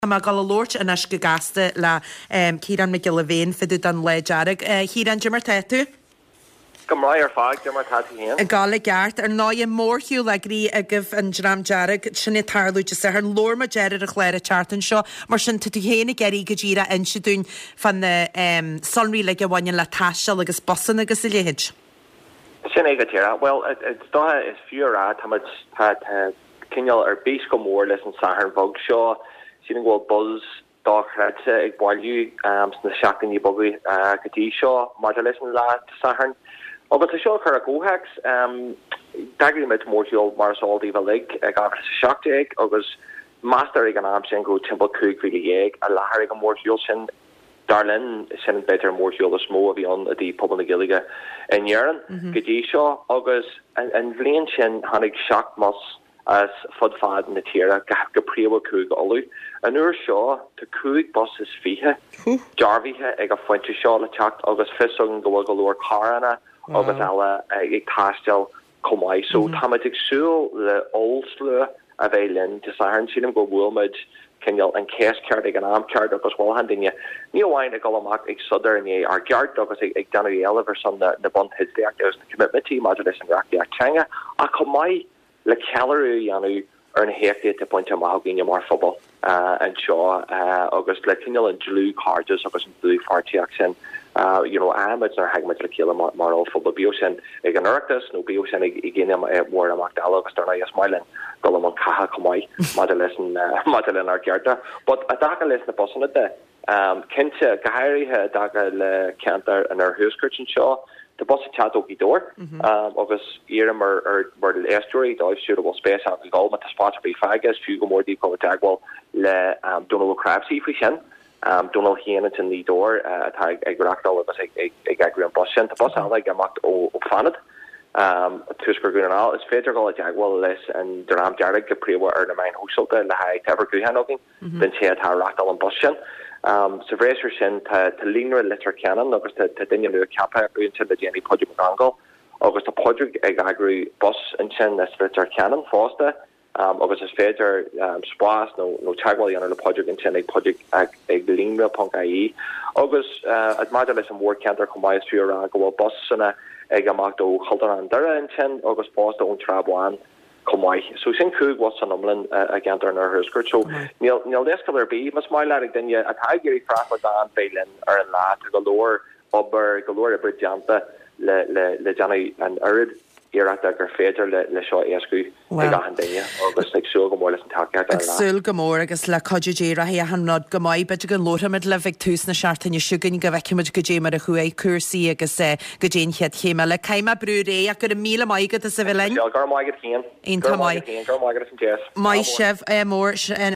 Tá mé ag dul a labhairt anois go gasta le Ciarán Mac Giolla Bhéin fá dtaobh den Lá Dearg. A Chiaráin, dé mar tá tú? Go maith ar fad, dé mar tá tú féin? Ag gabháil i gceart. Ar ndóigh, mórshiúl eagraithe agaibh, an Dream Dearg, sin ag tarlú Dé Sathairn. Labhair muid air ar an chlár an tseachtain seo. Mar sin, tá tú féin ag iarraidh go díreach inse dúinn fá na sonraí uilig a bhaineann le taisteal agus busanna agus a leithéid. Sin é go díreach. Bhuel, is dócha, is fiú a rá, táimid, tá, tá cineál ar bís go mór leis an Satharn bheag seo. Sílim go bhfuil buzz dochreidte ag bailiú sna seachtainí beaga go dtí seo maidir leis an lá Dé Sathairn. Agus le seo a chur i gcomhthéacs, d'eagraigh muid mórshiúl mar is eol daoibh uilig i 2017 agus meastar ag an am sin go raibh timpeall 15,000 i láthair ag an mhórshiúl sin. Dar linn, sin b'fhéidir an mórshiúl is mó a bhí ann i dtaobh pobal na Gaeilge in Éirinn go dtí seo agus an bhliain sin tháinig 7 mbus as fud fad na tíre, go príomha Cúige Uladh. An uair seo tá 5 bus is 20 dearbhaithe ag an phointe seo le teacht agus fios againn go bhfuil go leor carranna agus eile ag taisteal chomh maith. So táimid ag súil le ollslua a bheith linn Dé Sathairn. Sílim gur bhuail muid cineál an cheist ceart ag an am ceart agus mholfainn daoine ní amháin ag dul amach ag sodar i ndiaidh ár gceart agus ag déanamh éileamh ar son na bunteidlíochta agus na coimitmintí maidir leis an reachtaíocht teanga ach chomh maith le ceiliúradh a dhéanamh ar na héachtaí atá bainte amach againne mar phobal anseo agus le cineál an dlúthchairdeas agus an dlúthpháirtíocht sin you know a fhaighimid nuair a thagaimid le chéile mar ollphobal, bíodh sin ag an Oireachtas nó bíodh sin ag aon mhórimeacht eile agus dar ndóigh is maith linn dul i mbun catha chomh maith maidir leis an maidir lenár gcearta. But i dtaca leis na busanna de, Cinnte, go háirithe i dtaca le ceantar an oirthuaiscirt anseo, tá bus ag teacht ó Ghaoth Dobhair agus iarraim ar ár n-éisteoirí, dóibh siúd a bhfuil spéis acu dul, má tá spás ar bith fágtha, is fiú go mór daoibh dul i dteagmháil le Dónal Ó Cnáimhsí faoi sin. Dónal féin ansin i nGaoth Dobhair atá ag reachtáil agus ag eagrú an bus sin. Tá bus eile ag imeacht ó Fánad, Tuaisceart Dhún na nGall. Is féidir dul i dteagmháil leis an Dream Dearg go príomha ar na meáin shóisialta le haghaidh tá uimhir gutháin againn. den té atá ag reachtáil an bus sin. Sa bhreis ar sin, tá Líonra Leitir Ceanainn agus tá duine nua ceaptha acu ansin le déanaí, Pádraig Mac Congáil, agus tá Pádraig ag eagrú bus ansin as Leitir Ceanainn fosta agus is féidir spás nó teagmháil a dhéanamh le Pádraig ansin ag pádraig ag líonra ponc ie. Agus maidir leis an mhórcheantar chomh maith is fiú a rá go bhfuil busanna ag imeacht ó Chultúrlann Doire ansin agus fosta ón Trá Bháin. chomh maith. So sin 5 bhus san iomlán i gceantar an Oirthuaiscirt. So níl níl leithscéal ar bith, más maith leat, ag duine atá ag iarraidh freastal gan bheith linn ar an lá. Tá go leor obair, go leor oibre déanta le le le déanamh an oiread iarrachta gur féidir le le seo a éascú ag achan duine agus ag súil go mór leis an tacaíocht ar an lá. Ag súil go mór agus le cuidiú Dé rachaidh achan rud go maith. B'fhéidir go labharfaimid libh ag tús na seachtaine seo chugainn go bhfeicfimid goidé mar a chuaigh cúrsaí agus goidé an chéad chéim eile. Caithfidh mé brú ar aghaidh ach go raibh míle maith agat as a bheith linn. Go raibh maith agat féin. Iontach maith. Go raibh maith agat féin. Go raibh maith agat as an deis. Maith sibh. Ádh mór.